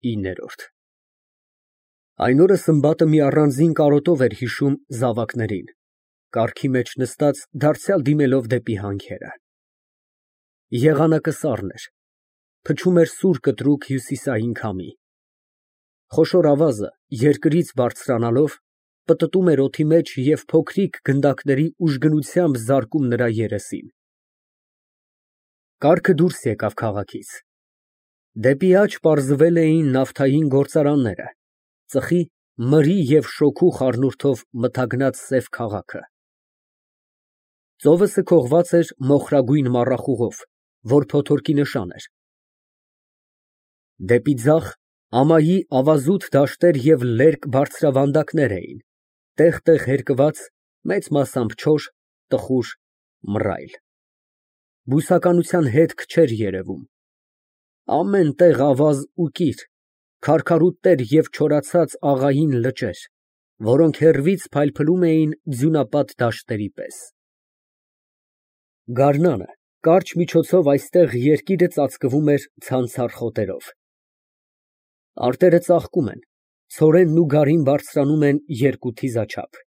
9։ Այն օրը Սմբատը մի առանձին կարոտով էր հիշում զավակներին, կառքի մեջ նստած դարձյալ դիմելով դեպի հանքերը։ Եղանակը սառն էր, փչում էր սուր կտրուկ հյուսիսային քամի։ Խոշոր ավազը, երկրից բարձրանալով, պտտում էր օդի մեջ և փոքրիկ գնդակների ուժգնությամբ զարկում նրա երեսին։ Կառքը դուրս եկավ քաղաքից։ Դեպի աջ պարզվել էին նավթային գործարանները, ծխի, մրի և շոգու խառնուրդով մթագնած սև քաղաքը։ Ծովը սքողված էր մոխրագույն մառախուղով, որ փոթորկի նշան էր։ Դեպի ձախ ամայի ավազուտ դաշտեր և լերկ բարձրավանդակներ էին, տեղ֊տեղ հերկված, մեծ մասամբ չոր, տխուր, մռայլ։ Բուսականության հետք չէր երևում։ Ամեն տեղ ավազ ու կիր, քարքարուտներ և չորացած աղային լճեր, որոնք հեռվից փայլփլում էին ձյունապատ դաշտերի պես։ Գարնանը կարճ միջոցով այստեղ երկիրը ծածկվում էր ցանցառ խոտերով։ Արտերը ծաղկում են, ցորենն ու գարին բարձրանում են երկու թիզաչափ։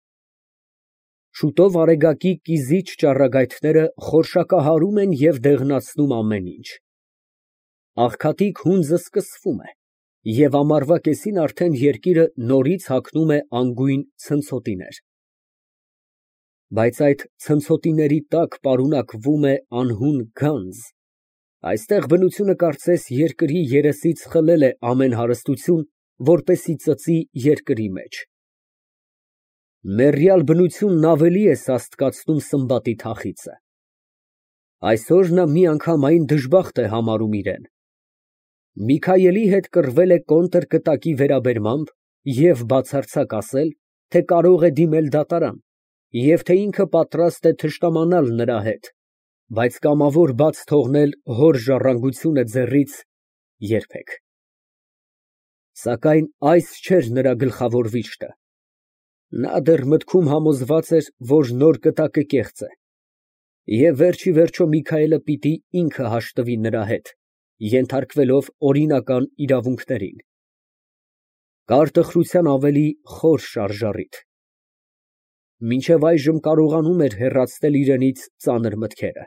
Շուտով արեգակի կիզիչ ճառագայթները խորշակահարում են և դեղնացնում ամեն ինչ։ Աղքատիկ հունձը սկսվում է, և ամառվա կեսին արդեն երկիրը նորից հագնում է անգույն ցնցոտիներ։ Բայց այդ ցնցոտիների տակ պարունակվում է անհուն գանձ։ Այստեղ բնությունը կարծես երկրի երեսից խլել է ամեն հարստություն, որպեսզի ծծի երկրի մեջ։ Մեռյալ բնությունն ավելի է սաստկացնում Սմբատի թախիծը։ Այսօր նա մի անգամ այն դժբախտ է համարում իրան։ Միքայելի հետ կռվել է կոնտրկտակի վերաբերմամբ և բացարձակ ասել, թե կարող է դիմել դատարան, և թե ինքը պատրաստ է թշնամանալ նրա հետ, բայց կամավոր բաց թողնել հոր ժառանգությունը ձեռից երբեք։ Սակայն այս չէր նրա գլխավոր վիշտը։ Նա դեռ մտքում համոզված էր, որ նոր կտակը կեղծ է, և վերջիվերջո Միքայելը պիտի ինքը հաշտվի նրա հետ, ենթարկվելով օրինական իրավունքներին։ Կար տխրության ավելի խոր շարժառիթ։ Մինչև այժմ կարողանում էր հեռացնել իրենից ծանր մտքերը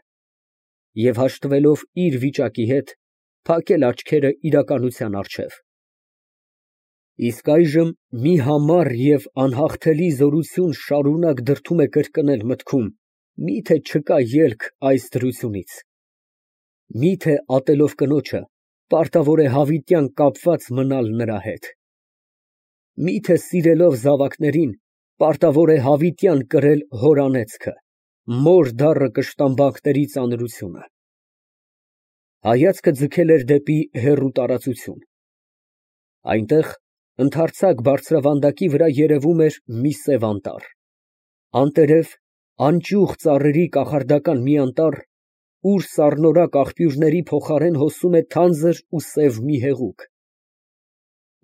և, հաշտվելով իր վիճակի հետ, փակել աչքերը իրականության առջև։ Իսկ այժմ մի համառ և անհաղթելի զորություն շարունակ դրդում է կրկնել մտքում. միթե չկա ելք այս դրությունից։ Միթե ատելով կնոջը, պարտավոր է հավիտյան կապված մնալ նրա հետ։ Միթե սիրելով զավակներին, պարտավոր է հավիտյան կրել հոր անեծքը, մոր դառը կշտամբանքների ծանրությունը։ Հայացքը ձգել էր դեպի հեռու տարածություն։ Այնտեղ, ընդարձակ բարձրավանդակի վրա երևում էր մի սև անտառ։ Անտերև, անճյուղ ծառերի կախարդական մի անտառ, ուր սառնորակ աղբյուրների փոխարեն հոսում է թանձր ու սև մի հեղուկ,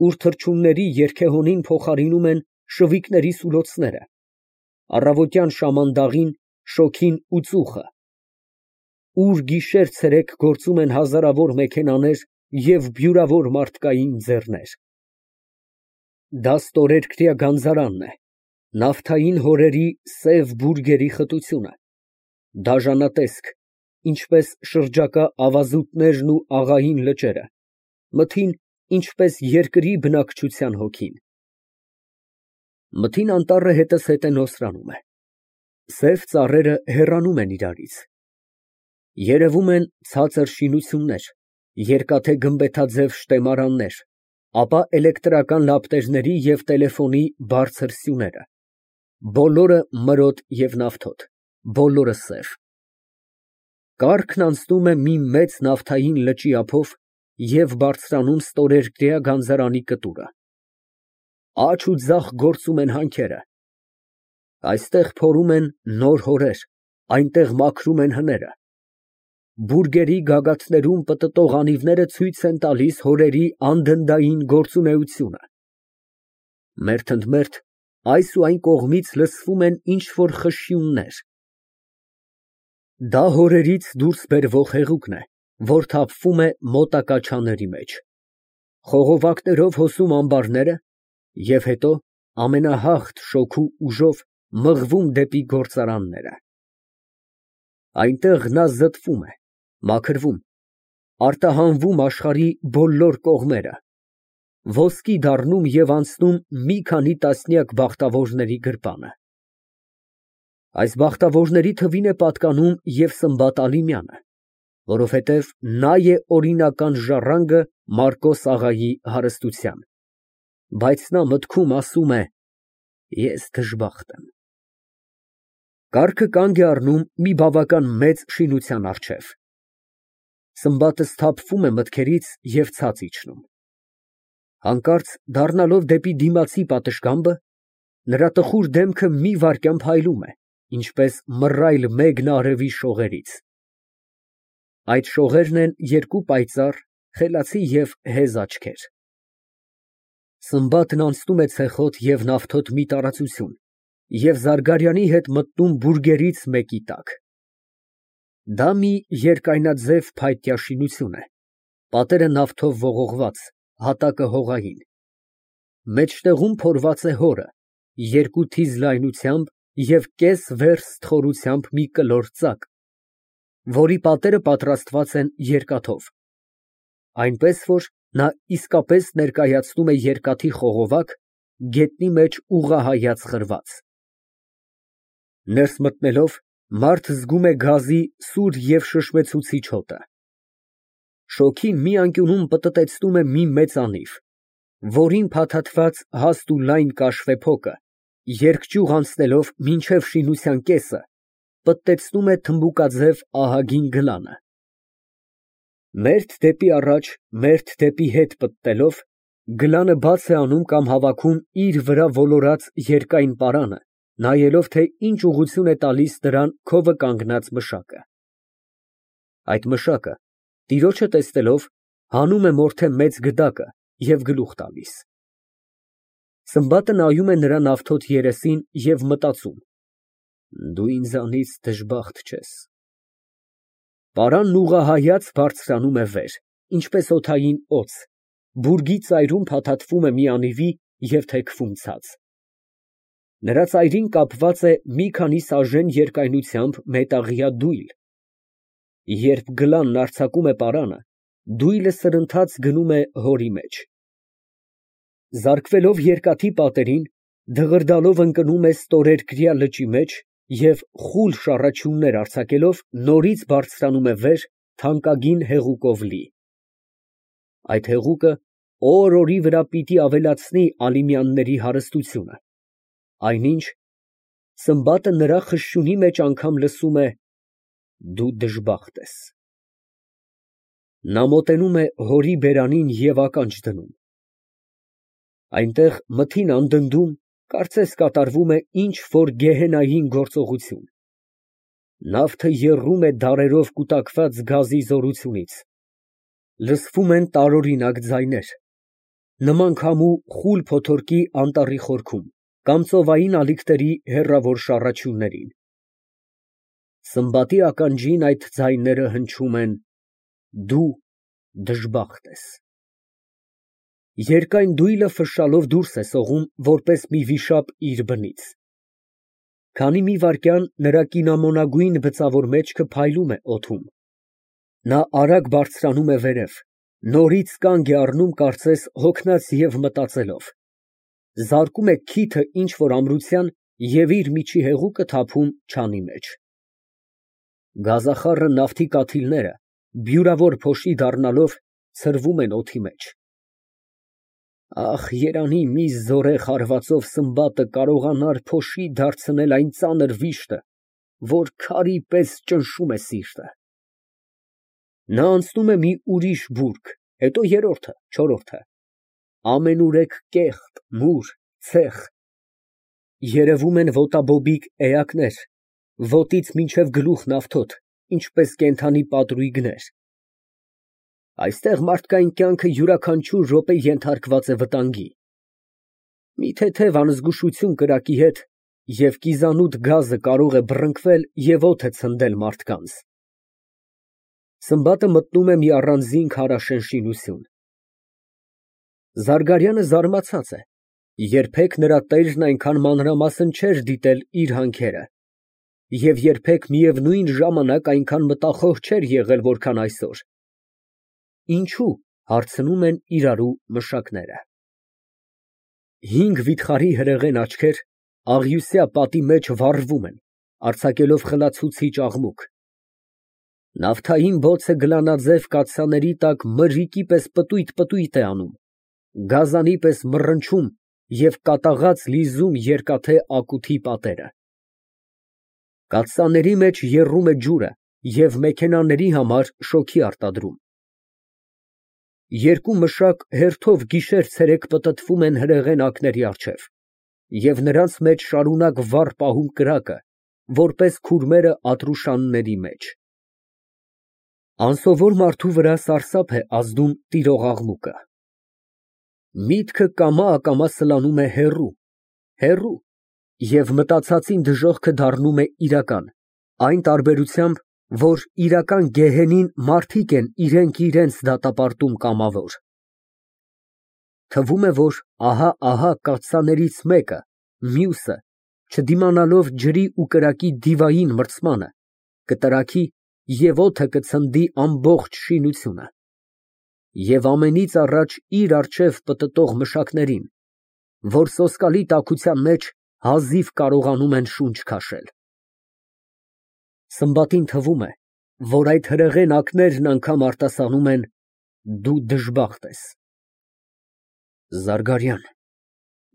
ուր թռչունների երգեհոնին փոխարինում են շվիկների սուլոցները, առավոտյան շամանդաղին, շոգին ու ծուխը, ուր գիշեր֊ցերեկ գործում են հազարավոր մեքենաներ և բյուրավոր մարդկային ձեռներ։ Դա ստորերկրյա գանձարանն է, նավթային հորերի սև բուրգերի խտությունը, դաժանատեսկ, ինչպես շրջակա ավազուտներն ու աղային լճերը, մթին, ինչպես երկրի բնակչության հոգին։ Մթին անտառը հետզհետե նոսրանում է։ Սև ծառերը հեռանում են իրարից։ Երևում են ցածր շինություններ, երկաթե գմբեթաձև շտեմարաններ, ապա էլեկտրական լապտերների և տելեֆոնի բարձր սյուները, բոլորը մրոտ և նավթոտ, բոլորը սև։ Կառքն անցնում է մի մեծ նավթային լճի ափով և բարձրանում ստորերկրյա գանձարանի կտուրը։ Աջ ու ձախ գործում են հանքերը։ Այստեղ փորում են նոր հորեր, այնտեղ մաքրում են հները։ Բուրգերի գագաթներում պտտող անիվները ցույց են տալիս հորերի անդնդային գործունեությունը։ Մերթ ընդ մերթ այս ու այն կողմից լսվում են ինչ֊որ խշշյուններ։ Դա հորերից դուրս բերվող հեղուկն է, որ թափվում է մոտակա չաների մեջ։ խողովակներով հոսում ամբարները և հետո ամենահաղթ շոգու ուժով մղվում դեպի գործարանները։ Այնտեղ նա զտվում է, մաքրվում, արտահանվում աշխարհի բոլոր կողմերը, ոսկի դառնում և անցնում մի քանի տասնյակ բախտավորների գրպանը։ Այս բախտավորների թվին է պատկանում և Սմբատ Ալիմյանը, որովհետև նա է օրինական ժառանգը Մարկոս աղայի հարստության, բայց նա մտքում ասում է. «Ես դժբախտ եմ»։ Կառքը կանգ է առնում մի բավական մեծ շինության առջև։ Սմբատը սթափվում է մտքերից և ցած իջնում։ Հանկարծ դառնալով դեպի դիմացի պատշգամբը, նրա տխուր դեմքը մի վայրկյան փայլում է, ինչպես մռայլ մեգն արևի շողերից։ Այդ շողերն են երկու պայծառ, խելացի և հեզ աչքեր։ Սմբատն անցնում է ցեխոտ և նավթոտ մի տարածություն և Զարգարյանի հետ մտնում բուրգերից մեկի տակ։ Դա մի երկայնաձև փայտյա շինություն է, պատերը նավթով ողողված, հատակը հողային։ Մեջտեղում փորված է հորը, երկու թիզ լայնությամբ և կես վերս թխորությամբ մի կլոր ծակ, որի պատերը պատրաստված են երկաթով, այնպես որ նա իսկապես ներկայացնում է երկաթի խողովակ, գետնի մեջ ուղղահայաց խրված։ Ներս մտնելով, մարդ զգում է գազի սուր և շշմեցուցիչ հոտը։ Շոգին մի անկյունում պտտեցնում է մի մեծ անիվ, որին փաթաթված հաստ ու լայն կաշվե փոկը, երկճյուղ անցնելով մինչև շինության կեսը, պտտեցնում է թմբուկաձև ահագին գլանը։ Մերթ դեպի առաջ, մերթ դեպի հետ պտտելով, գլանը բաց է անում կամ հավաքում իր վրա ոլորած երկայն պարանը, նայելով, թե ինչ ուղղություն է տալիս դրան քովը կանգնած մշակը։ Այդ մշակը, տիրոջը տեսնելով, հանում է մորթե մեծ գդակը և գլուխ տալիս։ Սմբատը նայում է նրա նավթոտ երեսին և մտածում. «Դու ինձանից դժբախտ չես»։ Պարանն ուղղահայաց բարձրանում է վեր, ինչպես օդային օձ, բուրգի ծայրում փաթաթվում է մի անիվի և թեքվում ցած։ Նրա ծայրին կապված է մի քանի սաժեն երկայնությամբ մետաղյա դույլ։ Երբ գլանն արձակում է պարանը, դույլը սրընթաց գնում է հորի մեջ։ Զարկվելով երկաթի պատերին, դղրդալով ընկնում է ստորերկրյա լճի մեջ և խուլ շառաչյուններ արձակելով նորից բարձրանում է վեր, թանկագին հեղուկով լի։ Այդ հեղուկը օր֊օրի վրա պիտի ավելացնի Ալիմյանների հարստությունը, այնինչ Սմբատը նրա խշշյունի մեջ անգամ լսում է. «Դու դժբախտ ես»։ Նա մոտենում է հորի բերանին և ականջ դնում։ Այնտեղ մթին անդնդում, կարծես կատարվում է ինչ֊որ գեհենային գործողություն։ Նավթը եռում է դարերով կուտակված գազի զորությունից։ Լսվում են տարօրինակ ձայներ, նման քամու խուլ փոթորկի անտառի խորքում կամ ծովային ալիքների հեռավոր շառաչյուններին։ Սմբատի ականջին այդ ձայները հնչում են. «Դու դժբախտ ես»։ Երկայն դույլը ֆշշալով դուրս է սողում, որպես մի վիշապ իր բնից։ Քանի մի վայրկյան նրա կինամոնագույն բծավոր մեջքը փայլում է օդում։ Նա արագ բարձրանում է վերև, նորից կանգ է առնում կարծես հոգնած և մտածելով, զարկում է քիթը ինչ֊որ ամրության և իր միջի հեղուկը թափում չանի մեջ։ Գազախառը նավթի կաթիլները, բյուրավոր փոշի դառնալով, ցրվում են օդի մեջ։ Ախ, երանի մի զորեղ հարվածով Սմբատը կարողանար փոշի դարձնել այն ծանր վիշտը, որ քարի պես ճնշում է սիրտը։ Նա անցնում է մի ուրիշ բուրգ, հետո երրորդը, չորրորդը, ամենուրեք կեղտ, մուր, ցեխ։ Երևում են ոտաբոբիկ էակներ, ոտից մինչև գլուխ նավթոտ, ինչպես կենդանի պատրույգներ։ Այստեղ մարդկային կյանքը յուրաքանչյուր րոպե ենթարկված է վտանգի։ Մի թեթև անզգուշություն կրակի հետ, և կիզանուտ գազը կարող է բռնկվել և օդ է ցնդել մարդկանց։ Սմբատը մտնում է մի առանձին քարաշեն շինություն։ Զարգարյանը զարմացած է, երբեք նրա տերն այնքան մանրամասն չէր դիտել իր հանքերը և երբեք միևնույն ժամանակ այնքան մտախոհ չէր եղել, որքան այսօր։ Ինչո՞ւ, հարցնում են իրարու մշակները։ 5 վիթխարի հրեղեն աչքեր աղյուսյա պատի մեջ վառվում են, արձակելով խլացուցիչ աղմուկ։ Նավթային բոցը գլանաձև կաթսաների տակ մրրիկի պես պտույտ է անում, գազանի պես մռնչում և կատաղած լիզում երկաթե ակութի պատերը։ Կաթսաների մեջ եռում է ջուրը և մեքենաների համար շոգի արտադրում։ Երկու մշակ հերթով գիշեր֊ցերեկ պտտվում են հրեղեն ակների առջև և նրանց մեջ շարունակ վառ պահում կրակը, որպես քուրմերը ատրուշանների մեջ։ Անսովոր մարդու վրա սարսափ է ազդում տիրող աղմուկը։ Միտքը կամա֊ակամա սլանում է հեռու, հեռու, և մտածածին դժոխքը դառնում է իրական, այն տարբերությամբ, որ իրական գեհենին մարդիկ են իրենք իրենց դատապարտում կամավոր։ Թվում է, որ ահա կաթսաներից մեկը, մյուսը, չդիմանալով ջրի ու կրակի դիվային մրցմանը, կտրաքի և օդը կցնդի ամբողջ շինությունը։ Եվ ամենից առաջ իր առջև պտտող մշակներին, որ սոսկալի տաքության մեջ հազիվ կարողանում են շունչ քաշել։ Սմբատին թվում է, որ այդ հրեղեն ակներն անգամ արտասանում են. «Դու դժբախտ ես»։ Զարգարյան,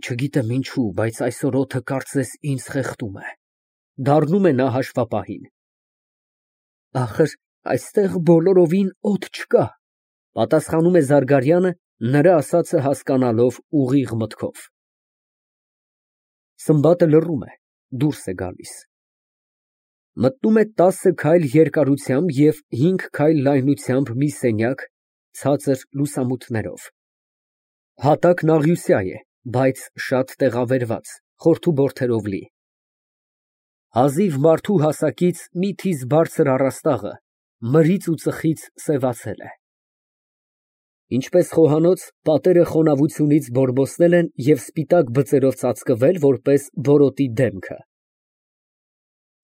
չգիտեմ ինչու, բայց այսօր օդը կարծես ինձ խեղդում է, դառնում է նա հաշվապահին։ Ախր այստեղ բոլորովին օդ չկա, պատասխանում է Զարգարյանը, նրա ասածը հասկանալով ուղիղ մտքով։ Սմբատը լռում է, դուրս է գալիս։ Մտնում է 10 քայլ երկարությամբ և 5 քայլ լայնությամբ մի սենյակ, ցածր լուսամուտներով։ Հատակն աղյուսյա է, բայց շատ տեղավերված, խորթուբորդերով լի։ Հազիվ մարդու հասակից մի թիզ բարձր առաստաղը մրից ու ծխից սևացել է։ Ինչպես խոհանոց, պատերը խոնավությունից բորբոսվել են և սպիտակ բծերով ծածկվել, որպես բորոտի դեմքը։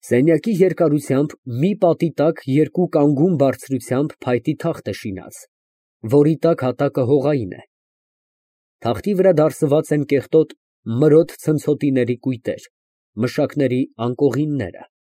Սենյակի երկարությամբ մի պատի տակ երկու կանգուն բարձրությամբ փայտի թախտ է շինած, որի տակ հատակը հողային է։ Թախտի վրա դարսված են կեղտոտ մրոտ ցնցոտիների կույտեր, մշակների անկողինները։